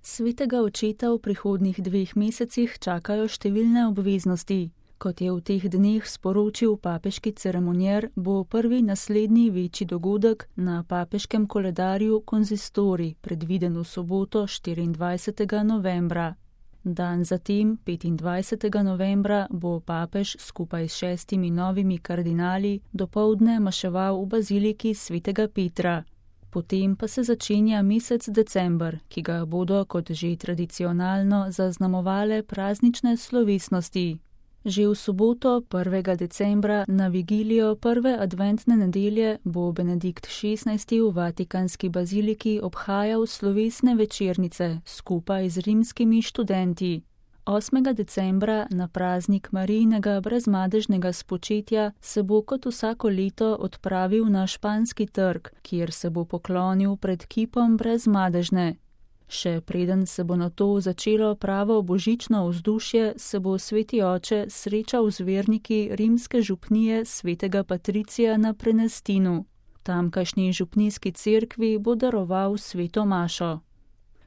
Svetega očeta v prihodnjih 2 mesecih čakajo številne obveznosti. Kot je v teh dneh sporočil papeški ceremonier, bo prvi naslednji večji dogodek na papeškem koledarju konzistorij predviden v soboto 24. novembra. Dan zatem, 25. novembra, bo papež skupaj s 6 novimi kardinali dopoldne maševal v baziliki svetega Petra. Potem pa se začenja mesec december, ki ga bodo, kot že tradicionalno, zaznamovale praznične slovesnosti. Že v soboto 1. decembra na vigilijo prve adventne nedelje bo Benedikt XVI v Vatikanski baziliki obhajal slovesne večernice skupaj z rimskimi študenti. 8. decembra na praznik Marijinega brezmadežnega spočetja se bo kot vsako leto odpravil na Španski trg, kjer se bo poklonil pred kipom brezmadežne. Še preden se bo nato začelo pravo božično vzdušje, se bo sveti oče srečal z verniki rimske župnije svetega Patricija na Prenestinu. Tamkajšnji župnijski cerkvi bo daroval sveto mašo.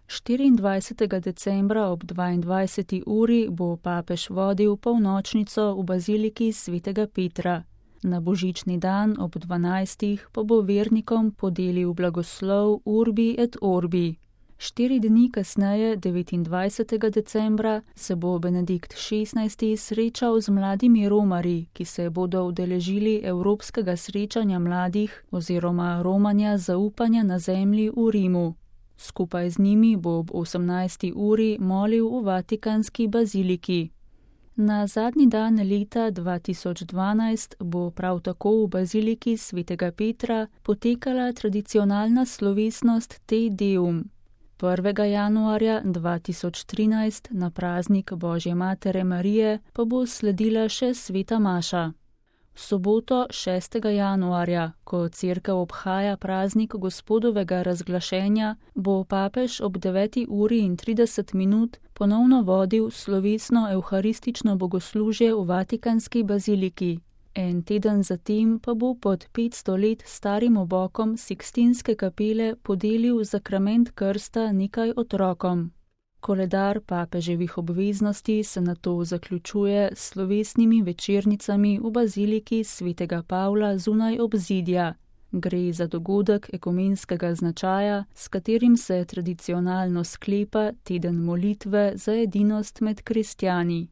24. decembra ob 22. uri bo papež vodil polnočnico v baziliki svetega Petra. Na božični dan ob 12. pa bo vernikom podelil blagoslov Urbi et Orbi. 4 dni kasneje, 29. decembra, se bo Benedikt XVI srečal z mladimi romarji, ki se bodo udeležili Evropskega srečanja mladih oziroma romanja zaupanja na zemlji v Rimu. Skupaj z njimi bo ob 18. uri molil v Vatikanski baziliki. Na zadnji dan leta 2012 bo prav tako v baziliki svetega Petra potekala tradicionalna slovesnost Te Deum. 1. januarja 2013 na praznik Božje matere Marije pa bo sledila še sveta maša. V soboto 6. januarja, ko cerkev obhaja praznik Gospodovega razglašenja, bo papež ob 9:30 ponovno vodil slovesno evharistično bogoslužje v Vatikanski baziliki. En teden zatem pa bo pod 500 let starim obokom Sikstinske kapele podelil zakrament krsta nekaj otrokom. Koledar papeževih obveznosti se nato zaključuje s slovesnimi večernicami v baziliki svetega Pavla zunaj obzidja. Gre za dogodek ekumenskega značaja, s katerim se tradicionalno sklepa teden molitve za edinost med kristjani.